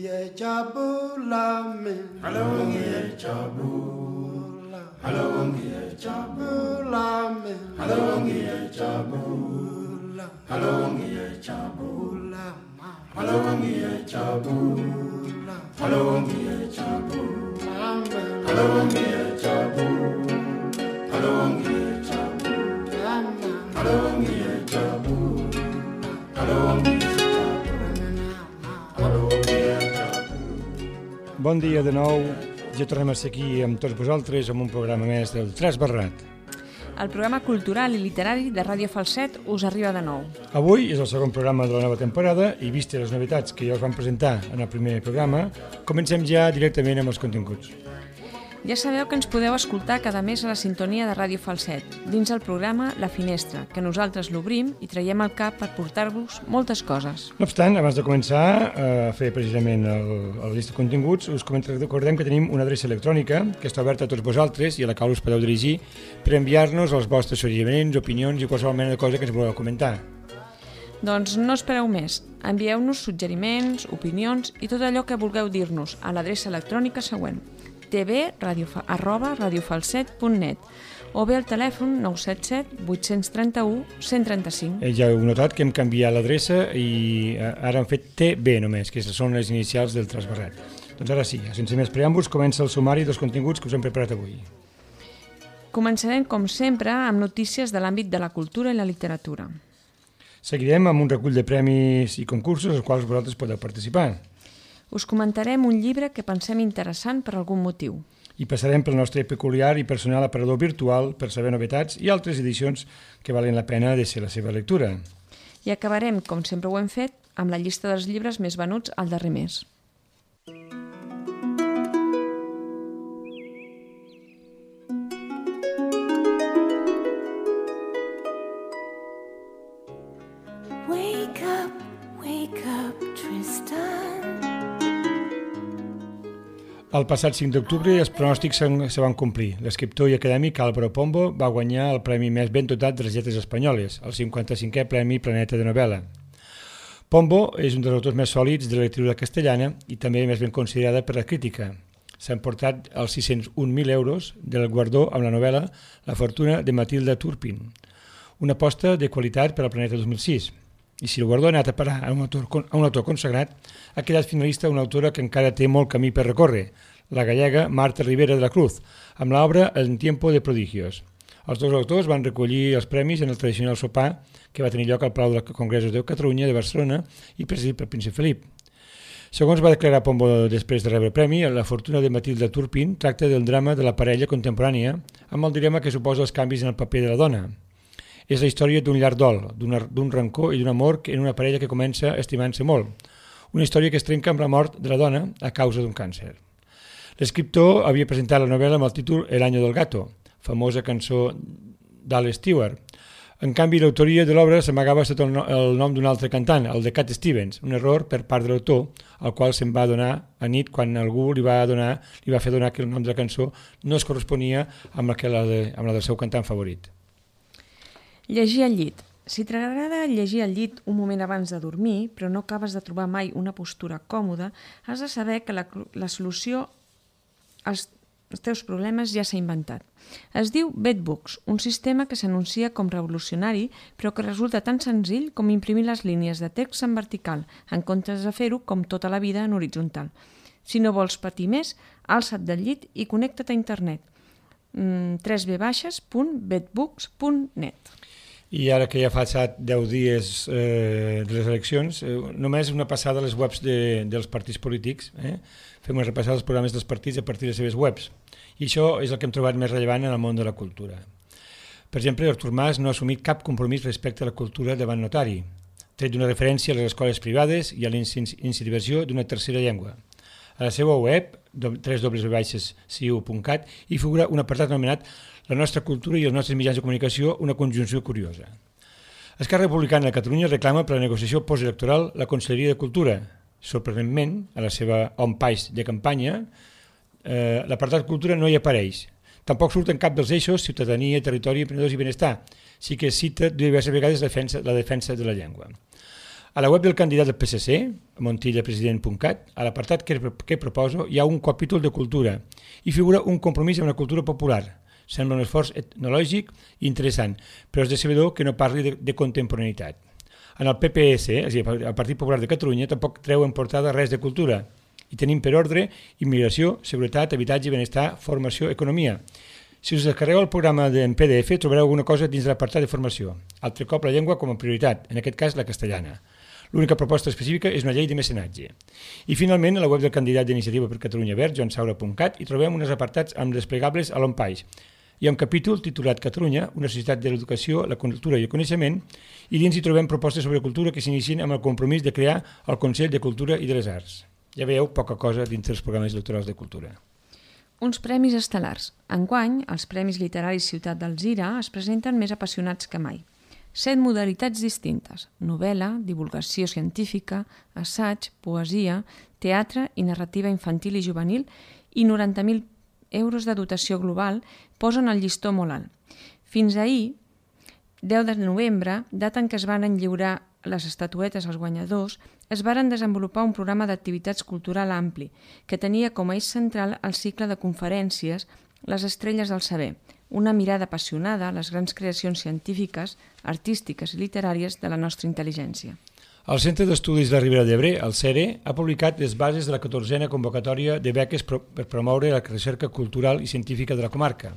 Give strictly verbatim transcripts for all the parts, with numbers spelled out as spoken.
ye jabulame. Halongi ye jabula. Halongi ye jabulame. Halongi ye jabula. Halongi ye jabula. Halongi ye jabula. Halongi ye jabula. Halongi ye jabula. Halongi ye jabula. Halongi ye jabula. Halongi ye Bon dia de nou, ja tornem a ser aquí amb tots vosaltres amb un programa més del Trasbarrat. El programa cultural i literari de Ràdio Falset us arriba de nou. Avui és el segon programa de la nova temporada i vistes les novetats que ja us vam presentar en el primer programa, comencem ja directament amb els continguts. Ja sabeu que ens podeu escoltar cada mes a la sintonia de Ràdio Falset, dins el programa La Finestra, que nosaltres l'obrim i traiem al cap per portar-vos moltes coses. No obstant, abans de començar a fer precisament el, el llista de continguts, us recordem que tenim una adreça electrònica que està oberta a tots vosaltres i a la qual us podeu dirigir per enviar-nos els vostres suggeriments, opinions i qualsevol mena de cosa que ens voleu comentar. Doncs no espereu més, envieu-nos suggeriments, opinions i tot allò que vulgueu dir-nos a l'adreça electrònica següent: tv arroba radiofalset punt net o bé al telèfon nou set set vuit tres u un cent trenta-cinc. Eh, ja heu notat que hem canviat l'adreça i ara hem fet T B només, que són les inicials del Trasbarrat. Doncs ara sí, sense més preàmbuls, comença el sumari dels continguts que us hem preparat avui. Començarem, com sempre, amb notícies de l'àmbit de la cultura i la literatura. Seguirem amb un recull de premis i concursos als quals vosaltres podeu participar. Us comentarem un llibre que pensem interessant per algun motiu. I passarem pel nostre peculiar i personal aparador virtual per saber novetats i altres edicions que valen la pena de ser la seva lectura. I acabarem, com sempre ho hem fet, amb la llista dels llibres més venuts al darrer mes. Wake up, wake up, Tristan. El passat cinc d'octubre els pronòstics se van complir. L'escriptor i acadèmic Álvaro Pombo va guanyar el premi més ben dotat de les lletres espanyoles, el cinquanta-cinquè Premi Planeta de Novel·la. Pombo és un dels autors més sòlids de la literatura castellana i també més ben considerada per la crítica. S'ha emportat els sis-cents un mil euros del guardó amb la novel·la La fortuna de Matilda Turpin, una aposta de qualitat per al Planeta dos mil sis. I si el guardó ha anat a parar a un autor, a un autor consagrat, ha quedat finalista una autora que encara té molt camí per recórrer, la gallega Marta Ribera de la Cruz, amb l'obra En tiempo de prodigios. Els dos autors van recollir els premis en el tradicional sopar que va tenir lloc al Palau dels Congressos de Catalunya de Barcelona i presidit pel príncep Felip. Segons va declarar Pombo després de rebre el premi, La fortuna de Matilda Turpin tracta del drama de la parella contemporània amb el dilema que suposa els canvis en el paper de la dona. És la història d'un llarg dol, d'un rancor i d'un amor en una parella que comença estimant-se molt. Una història que es trenca amb la mort de la dona a causa d'un càncer. L'escriptor havia presentat la novel·la amb el títol El año del gato, famosa cançó d'Al Stewart. En canvi, l'autoria de l'obra s'amagava sota el nom d'un altre cantant, el de Cat Stevens, un error per part de l'autor, al qual se'n va donar a nit quan algú li va, donar, li va fer donar que el nom de la cançó no es corresponia amb la, la, de, amb la del seu cantant favorit. Llegir al llit. Si t'agrada llegir al llit un moment abans de dormir, però no acabes de trobar mai una postura còmoda, has de saber que la, la solució als, als teus problemes ja s'ha inventat. Es diu Bedbooks, un sistema que s'anuncia com revolucionari, però que resulta tan senzill com imprimir les línies de text en vertical, en comptes de fer-ho com tota la vida en horitzontal. Si no vols patir més, alça't del llit i connecta't a internet. w w w punt bedbooks punt net. I ara que ja fa deu dies eh, de les eleccions, eh, només una passada a les webs de, dels partits polítics. Eh? Fem una repassada dels programes dels partits a partir de les seves webs. I això és el que hem trobat més rellevant en el món de la cultura. Per exemple, Artur Mas no ha assumit cap compromís respecte a la cultura davant notari, tret d'una referència a les escoles privades i a la incentivació d'una tercera llengua. A la seva web, w w w punt c i u punt cat, hi figura un apartat anomenat La nostra cultura i els nostres mitjans de comunicació, una conjunció curiosa. Esquerra Republicana de Catalunya reclama per la negociació postelectoral la Conselleria de Cultura. Sorprenentment, a la seva on-page de campanya, eh, l'apartat cultura no hi apareix. Tampoc surt en cap dels eixos ciutadania, territori, emprenedors i benestar. Sí que cita diverses vegades la defensa, la defensa de la llengua. A la web del candidat del P S C, montillapresident punt cat, a l'apartat que, que proposo hi ha un capítol de cultura i figura un compromís amb la cultura popular. Sembla un esforç etnològic i interessant, però és decebedor que no parli de, de contemporaneïtat. En el P P S, és a dir, el Partit Popular de Catalunya, tampoc treu en portada res de cultura. I tenim per ordre immigració, seguretat, habitatge, benestar, formació, economia. Si us descarregueu el programa en P D F trobareu alguna cosa dins de l'apartat de formació. Altre cop la llengua com a prioritat, en aquest cas la castellana. L'única proposta específica és una llei de mecenatge. I finalment, a la web del candidat d'Iniciativa per Catalunya Verds, joan saura punt cat, hi trobem uns apartats amb desplegables a l'on-page. Hi ha un capítol titulat Catalunya, una societat de l'educació, la cultura i el coneixement, i dins hi trobem propostes sobre cultura que s'inicien amb el compromís de crear el Consell de Cultura i de les Arts. Ja veieu poca cosa dins dels programes electorals de cultura. Uns premis estel·lars. Enguany, els Premis Literaris Ciutat d'Alzira es presenten més apassionats que mai. Set modalitats distintes: novel·la, divulgació científica, assaig, poesia, teatre i narrativa infantil i juvenil i noranta mil euros de dotació global posen el llistó molt alt. Fins ahir, deu de novembre, data en què es van lliurar les estatuetes als guanyadors, es varen desenvolupar un programa d'activitats cultural ampli que tenia com a eix central el cicle de conferències Les estrelles del saber, una mirada apassionada a les grans creacions científiques, artístiques i literàries de la nostra intel·ligència. El Centre d'Estudis de la Ribera d'Ebre, el CERE, ha publicat les bases de la catorzena convocatòria de beques per promoure la recerca cultural i científica de la comarca.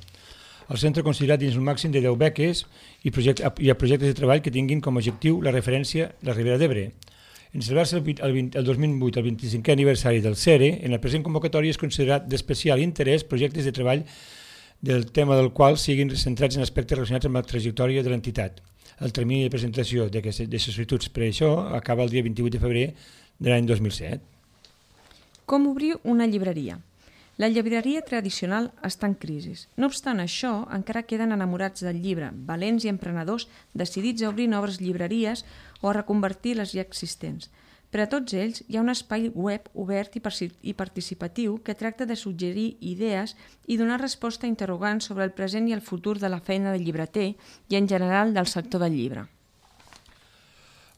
El centre ha considerat dins un màxim de deu beques i, project, i a projectes de treball que tinguin com a objectiu la referència a la Ribera d'Ebre. En celebrar-se el, el, el dos mil vuit el vint-i-cinquè aniversari del CERE, en la present convocatòria és considerat d'especial interès projectes de treball del tema del qual siguin centrats en aspectes relacionats amb la trajectòria de l'entitat. El termini de presentació de sol·licituds per això acaba el dia vint-i-vuit de febrer de l'any dos mil set. Com obrir una llibreria? La llibreria tradicional està en crisi. No obstant això, encara queden enamorats del llibre, valents i emprenedors decidits a obrir noves llibreries o a reconvertir les ja existents. Per a tots ells hi ha un espai web obert i participatiu que tracta de suggerir idees i donar resposta a interrogants sobre el present i el futur de la feina del llibreter i en general del sector del llibre.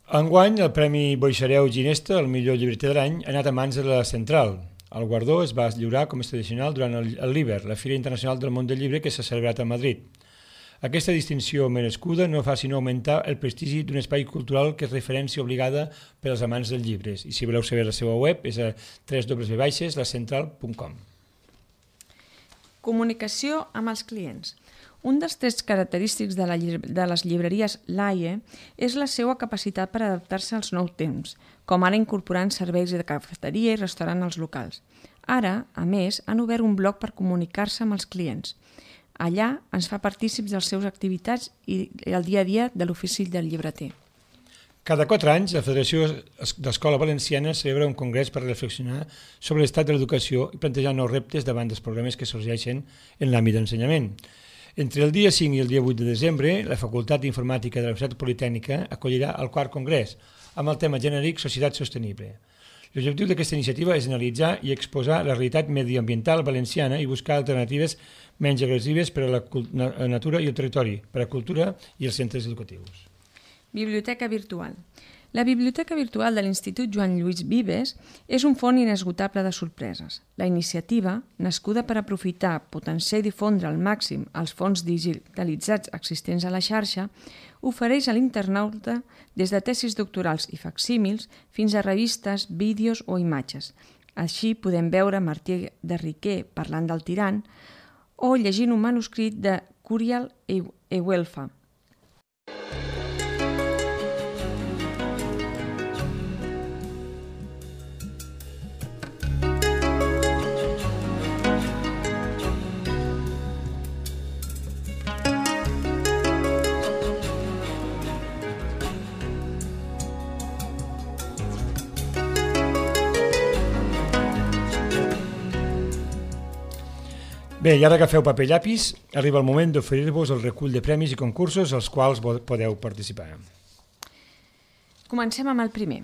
Enguany, el Premi Boixareu Ginesta, el millor llibreter de l'any, ha anat a mans de la Central. El guardó es va lliurar com és tradicional durant el l'Iber, la Fira Internacional del Món del Llibre que s'ha celebrat a Madrid. Aquesta distinció merescuda no fa sinó augmentar el prestigi d'un espai cultural que és referència obligada per als amants dels llibres. I si voleu saber la seva web és a w w w punt la central punt com. Comunicació amb els clients. Un dels trets característics de, la, de les llibreries L A I E és la seva capacitat per adaptar-se als nous temps, com ara incorporant serveis de cafeteria i restaurant als locals. Ara, a més, han obert un blog per comunicar-se amb els clients. Allà ens fa partícips de les seves activitats i el dia a dia de l'ofici del llibreter. Cada quatre anys, la Federació d'Escola Valenciana celebra un congrés per reflexionar sobre l'estat de l'educació i plantejar nous reptes davant dels problemes que sorgeixen en l'àmbit d'ensenyament. Entre el dia cinc i el dia vuit de desembre, la Facultat d'Informàtica de la Universitat Politècnica acollirà el quart congrés, amb el tema genèric Societat Sostenible. L'objectiu d'aquesta iniciativa és analitzar i exposar la realitat mediambiental valenciana i buscar alternatives menys agressives per a la natura i el territori, per a la cultura i els centres educatius. Biblioteca virtual. La Biblioteca Virtual de l'Institut Joan Lluís Vives és un font inesgotable de sorpreses. La iniciativa, nascuda per aprofitar, potenciar i difondre al màxim els fons digitalitzats existents a la xarxa, ofereix a l'internauta des de tesis doctorals i facsímils fins a revistes, vídeos o imatges. Així podem veure Martí de Riquer parlant del tirant o llegint un manuscrit de Curial Ewelfa. Bé, i ara agafeu paper i llapis, arriba el moment d'oferir-vos el recull de premis i concursos als quals podeu participar. Comencem amb el primer.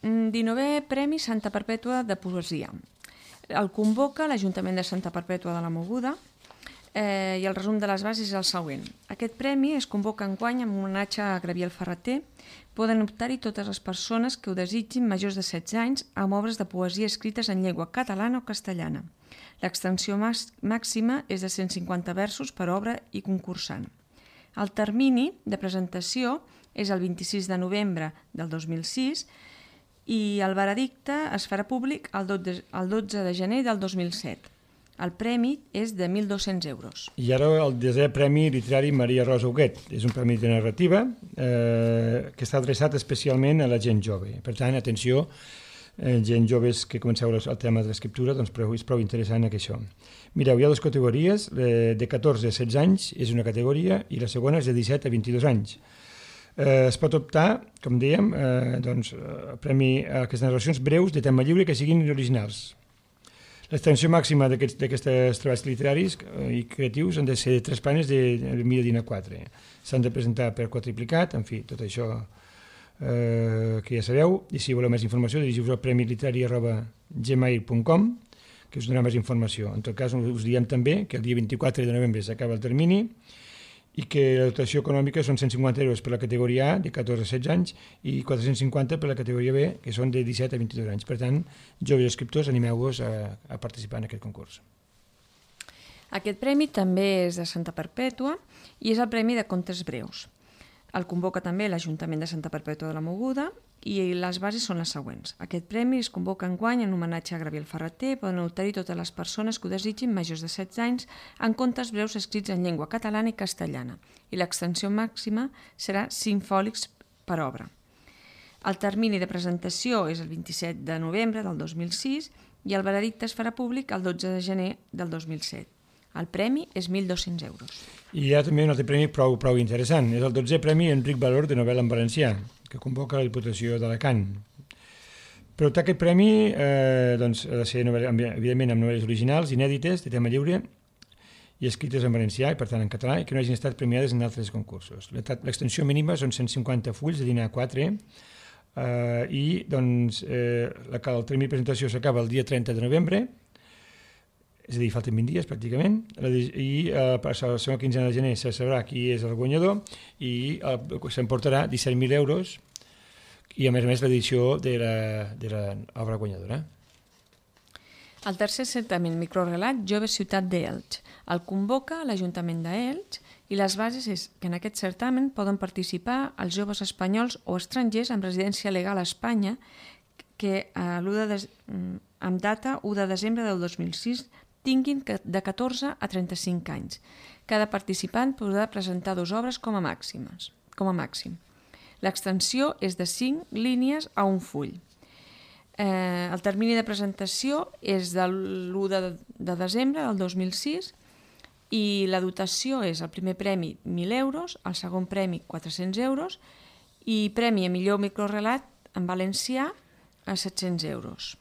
dinovè Premi Santa Perpètua de Poesia. El convoca l'Ajuntament de Santa Perpètua de la Mogoda eh, i el resum de les bases és el següent. Aquest premi es convoca enguany amb un homenatge a Gabriel Ferrater. Poden optar-hi totes les persones que ho desitgin majors de setze anys amb obres de poesia escrites en llengua catalana o castellana. L'extensió màxima és de cent cinquanta versos per obra i concursant. El termini de presentació és el vint-i-sis de novembre del dos mil sis i el veredicte es farà públic el dotze de gener del dos mil set. El premi és de mil dos-cents euros. I ara el desè Premi Literari Maria Rosa Huguet. És un premi de narrativa eh, que està adreçat especialment a la gent jove. Per tant, atenció, eh, gent joves que comenceu el tema de l'escriptura, doncs prou, és prou interessant això. Mireu, hi ha dues categories, eh, de catorze a setze anys és una categoria i la segona és de disset a vint-i-dos anys. Eh, es pot optar, com dèiem, eh, doncs, a premi a aquestes narracions breus de tema lliure que siguin originals. L'extensió màxima d'aquests treballs literaris i creatius han de ser tres planes de mida d'I N A quatre. S'han de presentar per quadriplicat, en fi, tot això eh, que ja sabeu. I si voleu més informació, dirigiu-vos al premi literari arroba gmail punt com, que us donarà més informació. En tot cas, us diem també que el dia vint-i-quatre de novembre s'acaba el termini i que la dotació econòmica són cent cinquanta euros per la categoria A, de catorze a setze anys, i quatre-cents cinquanta per la categoria B, que són de disset a vint-i-dos anys. Per tant, joves escriptors, animeu-vos a, a participar en aquest concurs. Aquest premi també és de Santa Perpètua i és el Premi de Contes Breus. El convoca també l'Ajuntament de Santa Perpètua de la Mogoda i les bases són les següents. Aquest premi es convoca enguany en homenatge a Gabriel Ferrater. Poden optar-hi totes les persones que ho desitgin majors de setze anys en contes breus escrits en llengua catalana i castellana i l'extensió màxima serà cinc fòlics per obra. El termini de presentació és el vint-i-set de novembre del dos mil sis i el veredicte es farà públic el dotze de gener del dos mil set. El premi és mil dos-cents euros. I hi ha també un altre premi prou, prou interessant. És el dotzè Premi Enric Valor de novel·la en valencià, que convoca la Diputació d'Alacant. Per optar aquest premi eh, doncs, ha de ser, evidentment, amb novel·les originals, inèdites, de tema lliure, i escrites en valencià, i per tant en català, i que no hagin estat premiades en altres concursos. L'extensió mínima són cent cinquanta fulls de d'I N A quatre, eh, i doncs, eh, la, el termini de presentació s'acaba el dia trenta de novembre, és a dir, falten vint dies pràcticament, i eh, a la segona quinzena de gener se sabrà qui és el guanyador i eh, s'emportarà disset mil euros i a més a més l'edició de l'obra guanyadora. El tercer certamen microrelat Jove Ciutat d'Elx. El convoca l'Ajuntament d'Elx i les bases és que en aquest certamen poden participar els joves espanyols o estrangers amb residència legal a Espanya que eh, de, amb data u de desembre del dos mil sis tinguin de catorze a trenta-cinc anys. Cada participant podrà presentar dues obres com a, màximes, com a màxim. L'extensió és de cinc línies a un full. Eh, el termini de presentació és de l'u de, de desembre del dos mil sis i la dotació és el primer premi mil euros, el segon premi quatre-cents euros i premi a millor microrelat en valencià a set-cents euros.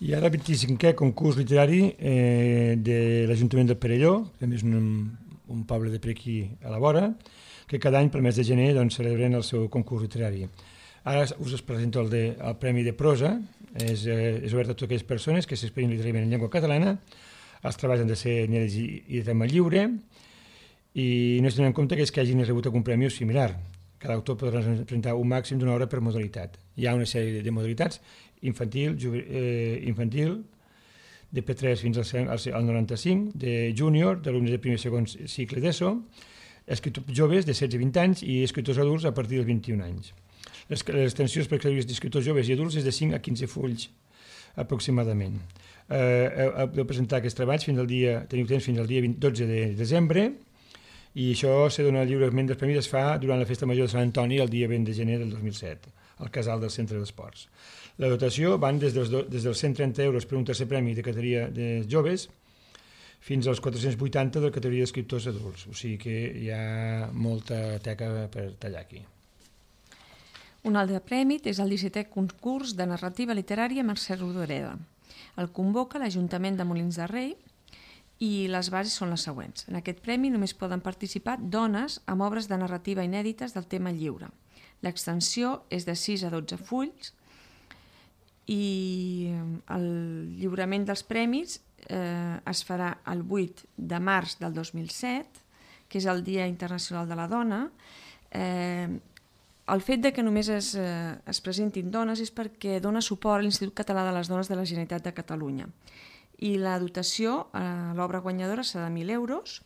I ara el vint-i-cinquè concurs literari eh, de l'Ajuntament del Perelló, que és un, un poble de per aquí a la vora, que cada any pel mes de gener doncs, celebren el seu concurs literari. Ara us presento el, de, el Premi de Prosa, és, eh, és obert a totes aquelles persones que s'expressem literàriament en llengua catalana, els treballs han de ser inèdits i, i de tema lliure, i no es tenen en compte que és que hagin rebut algun premi similar. Cada autor podrà presentar un màxim d'una obra per modalitat. Hi ha una sèrie de modalitats, infantil, eh, infantil, de P tres fins al, al noranta-cinc, de júnior, d'alumnes de primer i segon cicle d'ESO, escriptors joves de setze a vint anys i escriptors adults a partir dels vint-i-un anys. Les, les extensions per categories d'escriptors joves i adults és de cinc a quinze fulls aproximadament. Eh, heu de presentar aquests treballs fins al dia, teniu temps fins al dia dotze de desembre, i això se dona lliurement dels premis, es fa durant la Festa Major de Sant Antoni el dia vint de gener del dos mil set, al casal del Centre d'Esports. La dotació van des dels, des dels cent trenta euros per un tercer premi de categoria de joves fins als quatre-cents vuitanta de la categoria d'escriptors adults. O sigui que hi ha molta teca per tallar aquí. Un altre premi és el dissetè concurs de narrativa literària Mercè Rodoreda. El convoca l'Ajuntament de Molins de Rei i les bases són les següents. En aquest premi només poden participar dones amb obres de narrativa inèdites del tema lliure. L'extensió és de sis a dotze fulls i el lliurament dels premis eh, es farà el vuit de març del dos mil set, que és el Dia Internacional de la Dona. Eh, el fet de que només es, eh, es presentin dones és perquè dona suport a l'Institut Català de les Dones de la Generalitat de Catalunya. I la dotació a l'obra guanyadora serà de mil euros,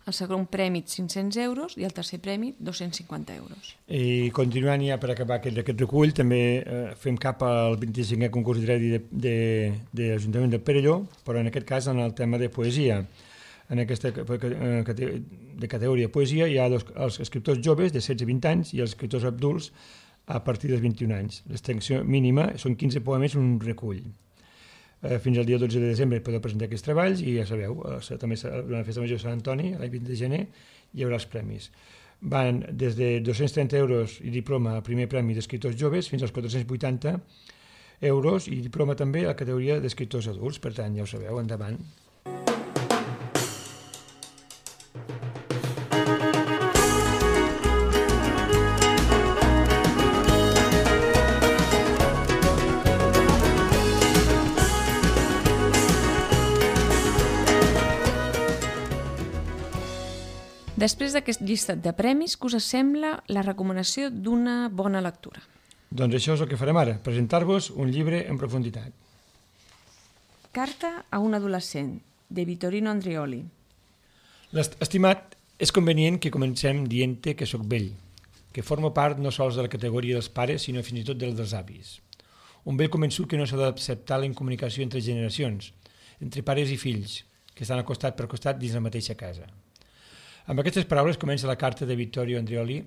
el segon premi cinc-cents euros i el tercer premi dos-cents cinquanta euros. I continuant ja per acabar aquest, aquest recull, també eh, fem cap al vint-i-cinquè concurs d'Iredi de, de, de l'Ajuntament del Perelló, però en aquest cas en el tema de poesia. En aquesta de categoria poesia hi ha dos, els escriptors joves de setze a vint anys i els escriptors adults a partir dels vint-i-un anys. L'extensió mínima són quinze poemes en un recull. Eh, fins al dia dotze de desembre podeu presentar aquests treballs i ja sabeu, eh, també la Festa Major de Sant Antoni, l'any vint de gener, hi haurà els premis. Van des de dos-cents trenta euros i diploma al primer premi d'escriptors joves fins als quatre-cents vuitanta euros i diploma també a la categoria d'escriptors adults, per tant, ja ho sabeu, endavant. Després d'aquest llistat de premis, què us sembla la recomanació d'una bona lectura? Doncs això és el que farem ara, presentar-vos un llibre en profunditat. Carta a un adolescent, de Vittorino Andreoli. Estimat, és convenient que comencem dient-te que sóc vell, que formo part no sols de la categoria dels pares, sinó fins i tot dels dels avis. Un vell convençut que no s'ha d'acceptar la incomunicació entre generacions, entre pares i fills, que estan al costat per costat dins la mateixa casa. Amb aquestes paraules comença la carta de Vittorio Andreoli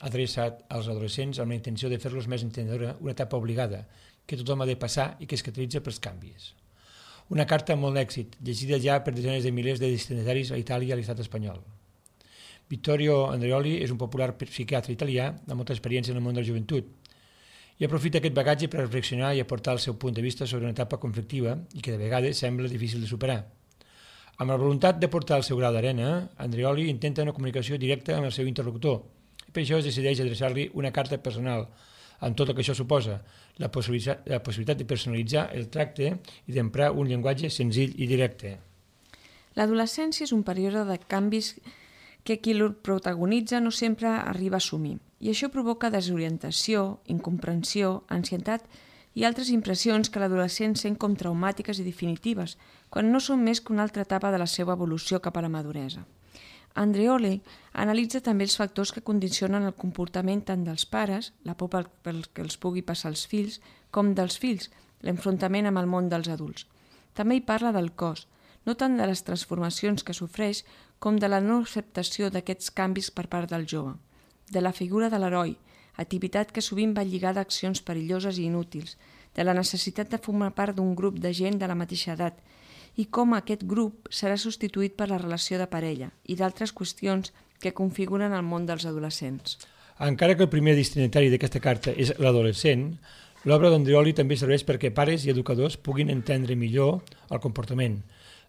adreçat als adolescents amb la intenció de fer-los més entendedora una etapa obligada que tothom ha de passar i que es caracteritza pels canvis. Una carta amb molt d'èxit, llegida ja per desenes de milers de destinataris a Itàlia i a l'estat espanyol. Vittorio Andreoli és un popular psiquiatre italià amb molta experiència en el món de la joventut i aprofita aquest bagatge per reflexionar i aportar el seu punt de vista sobre una etapa conflictiva i que de vegades sembla difícil de superar. Amb la voluntat de portar el seu gra d'arena, Andreoli intenta una comunicació directa amb el seu interlocutor i per això es decideix adreçar-li una carta personal, amb tot el que això suposa, la possibilitat, la possibilitat de personalitzar el tracte i d'emprar un llenguatge senzill i directe. L'adolescència és un període de canvis que qui el protagonitza no sempre arriba a assumir, i això provoca desorientació, incomprensió, ansietat i altres impressions que l'adolescent sent com traumàtiques i definitives, quan no són més que una altra etapa de la seva evolució cap a la maduresa. Andreoli analitza també els factors que condicionen el comportament tant dels pares, la por pel, pel que els pugui passar als fills, com dels fills, l'enfrontament amb el món dels adults. També hi parla del cos, no tant de les transformacions que sofreix com de la no acceptació d'aquests canvis per part del jove, de la figura de l'heroi, activitat que sovint va lligada a accions perilloses i inútils, de la necessitat de formar part d'un grup de gent de la mateixa edat i com aquest grup serà substituït per la relació de parella i d'altres qüestions que configuren el món dels adolescents. Encara que el primer destinatari d'aquesta carta és l'adolescent, l'obra d'Andreoli també serveix perquè pares i educadors puguin entendre millor el comportament,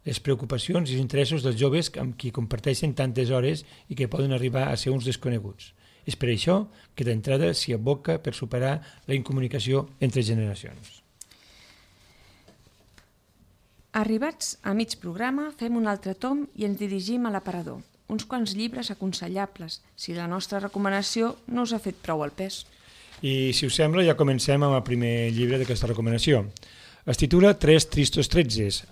les preocupacions i els interessos dels joves amb qui comparteixen tantes hores i que poden arribar a ser uns desconeguts. És per això que d'entrada s'hi aboca per superar la incomunicació entre generacions. Arribats a mig programa, fem un altre tom i ens dirigim a l'aparador. Uns quants llibres aconsellables, si la nostra recomanació no us ha fet prou al pes. I, si us sembla, ja comencem amb el primer llibre d'aquesta recomanació. Es titula Tres tristos tretzes.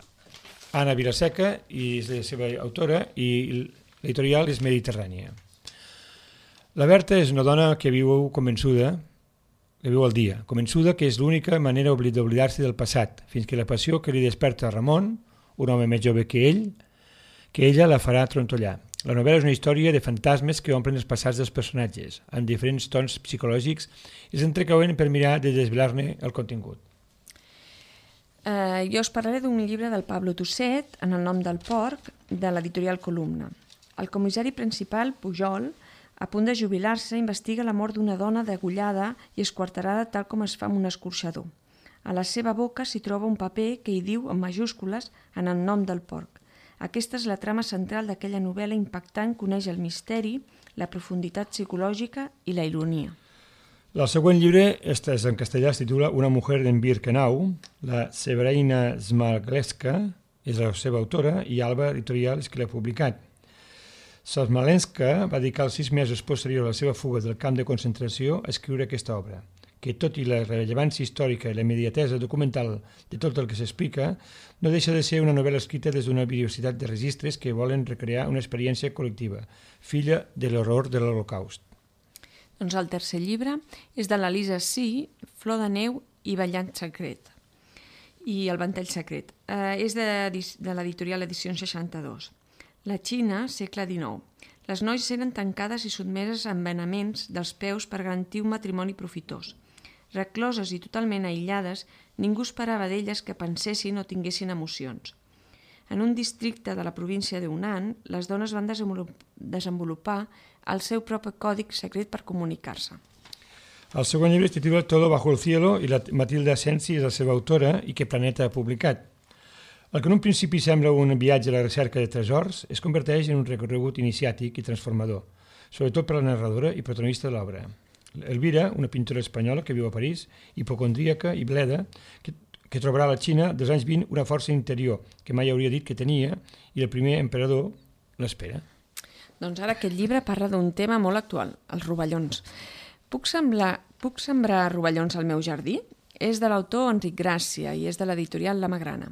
Anna Vilaseca i és la seva autora i l'editorial és Mediterrània. La Berta és una dona que viu convençuda, que viu al dia, convençuda que és l'única manera d'oblidar-se del passat, fins que la passió que li desperta a Ramon, un home més jove que ell, que ella la farà trontollar. La novel·la és una història de fantasmes que omplen els passats dels personatges, amb diferents tons psicològics i s'entrecauen per mirar de desvelar-ne el contingut. Eh, jo us parlaré d'un llibre del Pablo Tusset, En el nom del porc, de l'editorial Columna. El comissari principal, Pujol, a punt de jubilar-se, investiga la mort d'una dona degollada i esquarterada tal com es fa amb un escorxador. A la seva boca s'hi troba un paper que hi diu, en majúscules, En el nom del porc. Aquesta és la trama central d'aquella novel·la impactant que uneix el misteri, la profunditat psicològica i la ironia. El següent llibre, este és en castellà, es titula Una mujer en Birkenau, la Severina Smalgleska, és la seva autora, i Alba Editorial és qui l'ha publicat. Smolenska va dedicar els sis mesos posteriors a la seva fuga del camp de concentració a escriure aquesta obra, que tot i la rellevància històrica i la immediatesa documental de tot el que s'explica, no deixa de ser una novel·la escrita des d'una biodiversitat de registres que volen recrear una experiència col·lectiva, filla de l'horror de l'Holocaust. Doncs el tercer llibre és de l'Elisa Sí, Flor de neu i Ballant secret, i El ventall secret. Eh, és de, de l'editorial Edicions seixanta-dos. La Xina, segle dinou. Les noies eren tancades i sotmeses a envenenaments dels peus per garantir un matrimoni profitós. Recloses i totalment aïllades, ningú esperava d'elles que pensessin o tinguessin emocions. En un districte de la província de Hunan, les dones van desenvolupar el seu propi còdic secret per comunicar-se. El segon llibre es titula Todo bajo el cielo i la Matilda Asensi és la seva autora i que Planeta ha publicat. El que en un principi sembla un viatge a la recerca de tresors es converteix en un recorregut iniciàtic i transformador, sobretot per la narradora i protagonista de l'obra. Elvira, una pintora espanyola que viu a París, hipocondríaca i bleda, que, que trobarà a la Xina dels anys vint una força interior que mai hauria dit que tenia i el primer emperador l'espera. Doncs ara aquest llibre parla d'un tema molt actual, els rovellons. Puc, semblar, puc sembrar rovellons al meu jardí? És de l'autor Enric Gràcia i és de l'editorial La Magrana.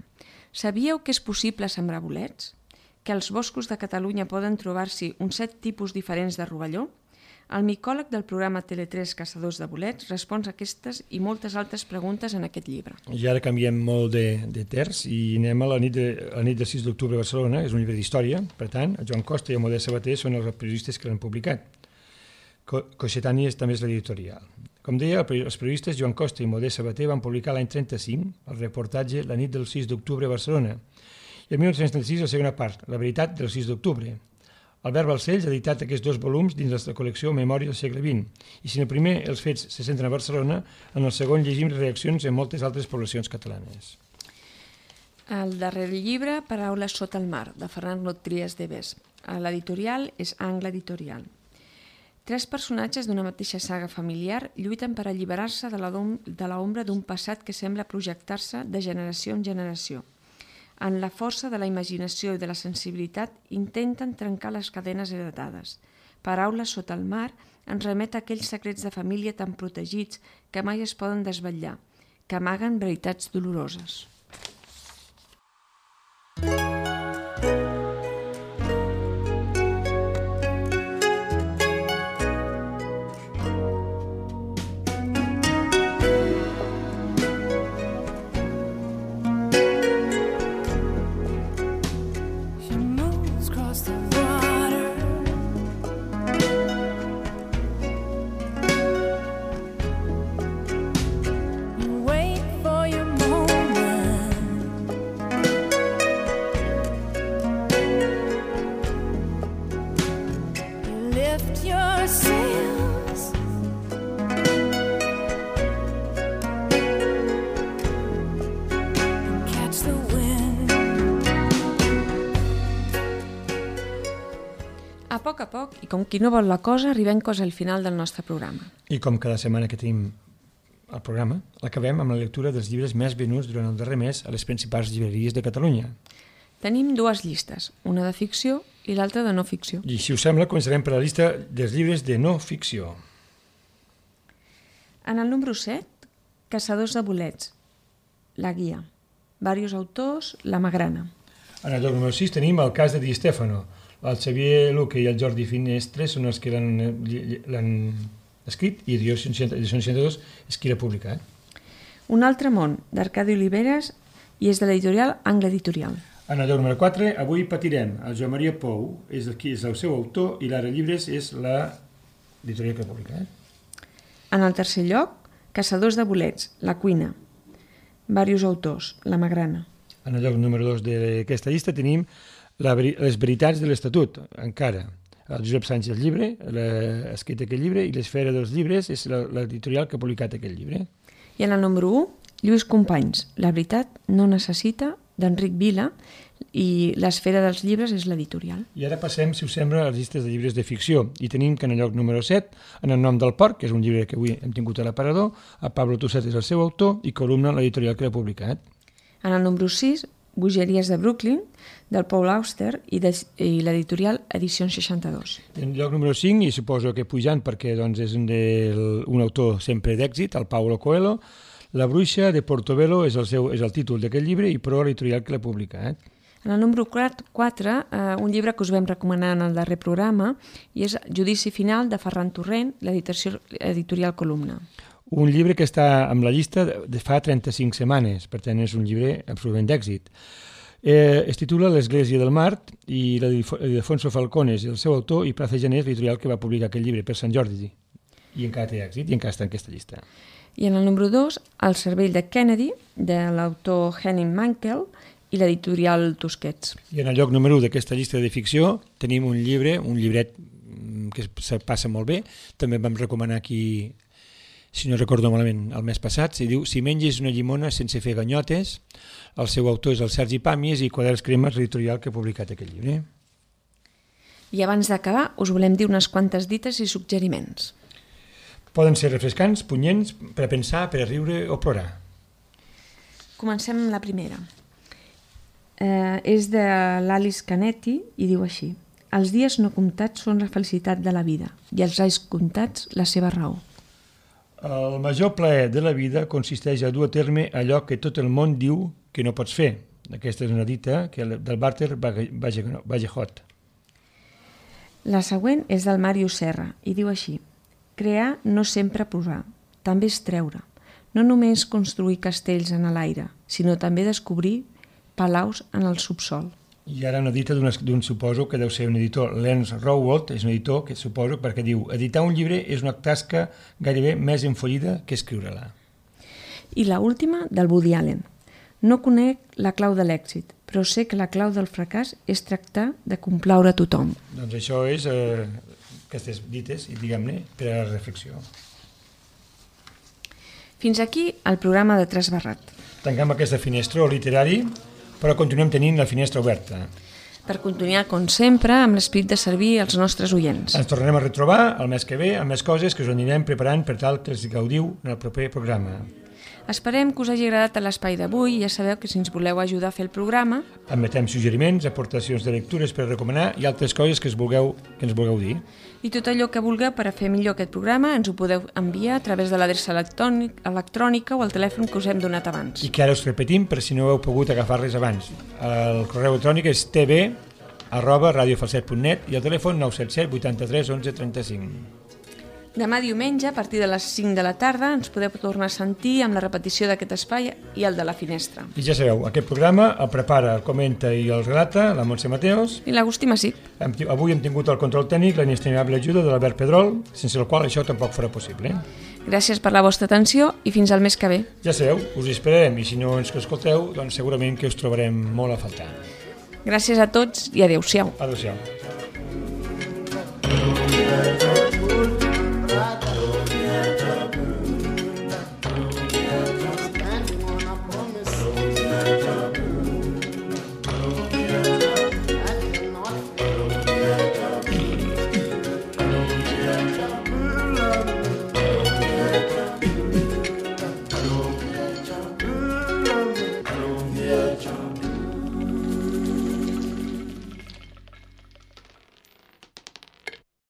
Sabíeu que és possible sembrar bolets? Que als boscos de Catalunya poden trobar-s'hi uns set tipus diferents de rovelló? El micòleg del programa Tele tres Caçadors de bolets respon a aquestes i moltes altres preguntes en aquest llibre. I ara canviem molt de, de terç i anem a la nit de, a la nit de sis d'octubre a Barcelona. És un llibre d'història, per tant, el Joan Costa i el Modest Sabater són els periodistes que l'han publicat. Cossetani és també és l'editorial. Com deia, els periodistes Joan Costa i Modest Sabater van publicar l'any trenta-cinc el reportatge La nit del sis d'octubre a Barcelona i el mil nou-cents trenta-sis la segona part, La veritat del sis d'octubre. Albert Balcells ha editat aquests dos volums dins la col·lecció Memòria del segle vint i si en el primer els fets se centren a Barcelona, en el segon llegim reaccions en moltes altres poblacions catalanes. El darrer llibre, Paraules sota el mar, de Fernando Trias de Bes. L'editorial és Angle Editorial. Tres personatges d'una mateixa saga familiar lluiten per alliberar-se de l'ombra d'un passat que sembla projectar-se de generació en generació. En la força de la imaginació i de la sensibilitat intenten trencar les cadenes heretades. Paraules sota el mar ens remet a aquells secrets de família tan protegits que mai es poden desvetllar, que amaguen veritats doloroses. A poc a poc, i com qui no vol la cosa, arribem quasi al final del nostre programa. I com cada setmana que tenim el programa, l'acabem amb la lectura dels llibres més venuts durant el darrer mes a les principals llibreries de Catalunya. Tenim dues llistes, una de ficció i l'altra de no ficció. I si us sembla, començarem per la llista dels llibres de no ficció. En el número set, Caçadors de bolets, La guia. Varios autors, La Magrana. En el lloc número sis tenim el cas de Di Stefano. El Xavier Luque i el Jordi Finestre són els que l'han escrit i Edicions seixanta-dos és qui l'ha publicat. Un altre món, d'Arcadi Oliveres, i és de l'editorial Angle Editorial. En el lloc número quatre, Avui patirem. El Joan Maria Pou és el, és el seu autor i l'Ara Llibres és l'editorial que ha publicat. En el tercer lloc, Caçadors de bolets, La cuina. Varios autors, La Magrana. En el lloc número dos d'aquesta llista tenim La, les veritats de l'Estatut, encara. El Josep Sánchez Llibre ha escrit aquest llibre i l'Esfera dels llibres és l'editorial que ha publicat aquest llibre. I en el número u, Lluís Companys, La veritat no necessita, d'Enric Vila, i l'Esfera dels llibres és l'editorial. I ara passem, si us sembla, a les llistes de llibres de ficció. I tenim que en el lloc número set, En el nom del porc, que és un llibre que avui hem tingut a l'aparador, a Pablo Tusset és el seu autor i Columna, l'editorial que l'ha publicat. En el número sis, Bogeries de Brooklyn, del Paul Auster, i, de, i l'editorial Edicions seixanta-dos. En lloc número cinc, i suposo que pujant perquè doncs, és un, del, un autor sempre d'èxit, el Paulo Coelho, La bruixa de Portobello és el, seu, és el títol d'aquest llibre i prou l'editorial que l'ha publicat. En el número quatre, eh, un llibre que us vam recomanar en el darrer programa, i és Judici final de Ferran Torrent, l'editorial editorial Columna. Un llibre que està amb la llista de fa trenta-cinc setmanes, per tant és un llibre absolutament d'èxit. Eh, es titula L'Església del Mart i l'Ildefonso Falcones, el seu autor, i Plaza Genés, l'editorial que va publicar aquest llibre per Sant Jordi. I encara té èxit i encara està en aquesta llista. I en el número dos, El cervell de Kennedy, de l'autor Henning Mankell, i l'editorial Tusquets. I en el lloc número u d'aquesta llista de ficció tenim un llibre, un llibret que se passa molt bé, també vam recomanar aquí, si no recordo malament, el mes passat, se diu Si menges una llimona sense fer ganyotes, el seu autor és el Sergi Pàmies i Quaderns Cremes, l'editorial que ha publicat aquest llibre. I abans d'acabar, us volem dir unes quantes dites i suggeriments. Poden ser refrescants, punyents, per a pensar, per a riure o plorar. Comencem amb la primera. Eh, és de l'Alice Canetti i diu així: els dies no comptats són la felicitat de la vida i els anys comptats la seva raó. El major plaer de la vida consisteix a dur a terme allò que tot el món diu que no pots fer. Aquesta és una dita que del Walter Vallejot. La següent és del Màrius Serra i diu així: crear no sempre posar, també és treure. No només construir castells en l'aire, sinó també descobrir palaus en el subsol. I ara una dita d'un suposo que deu ser un editor, Lance Rowald, és un editor que suposo perquè diu: editar un llibre és una tasca gairebé més enfollida que escriure-la. I la última, del Woody Allen. No conec la clau de l'èxit, però sé que la clau del fracàs és tractar de complaure a tothom. Doncs això és eh, aquestes dites, i diguem-ne, per a la reflexió. Fins aquí el programa de Trasbarrat. Tanquem aquesta finestra literari, però continuem tenint la finestra oberta. Per continuar, com sempre, amb l'esperit de servir als nostres oients. Ens tornarem a retrobar el mes que ve amb més coses que us anirem preparant per tal que els gaudiu en el proper programa. Esperem que us hagi agradat l'espai d'avui i ja sabeu que si ens voleu ajudar a fer el programa... Admetem suggeriments, aportacions de lectures per recomanar i altres coses que, es vulgueu, que ens vulgueu dir. I tot allò que vulgueu per a fer millor aquest programa ens ho podeu enviar a través de l'adreça electrònica o el telèfon que us hem donat abans. I que ara us repetim per si no heu pogut agafar-les abans. El correu electrònic és tv arroba radiofalset punt net i el telèfon nou set set vuitanta-tres onze trenta-cinc. Demà diumenge, a partir de les cinc de la tarda, ens podeu tornar a sentir amb la repetició d'aquest espai i el de la finestra. I ja sabeu, aquest programa el prepara, el comenta i el relata la Montse Mateos. I l'Agustí Massip. Avui hem tingut el control tècnic, la inestimable ajuda de l'Albert Pedrol, sense el qual això tampoc farà possible. Gràcies per la vostra atenció i fins al mes que ve. Ja sabeu, us esperarem i si no ens escolteu, doncs segurament que us trobarem molt a faltar. Gràcies a tots i adéu-siau. Adéu-siau.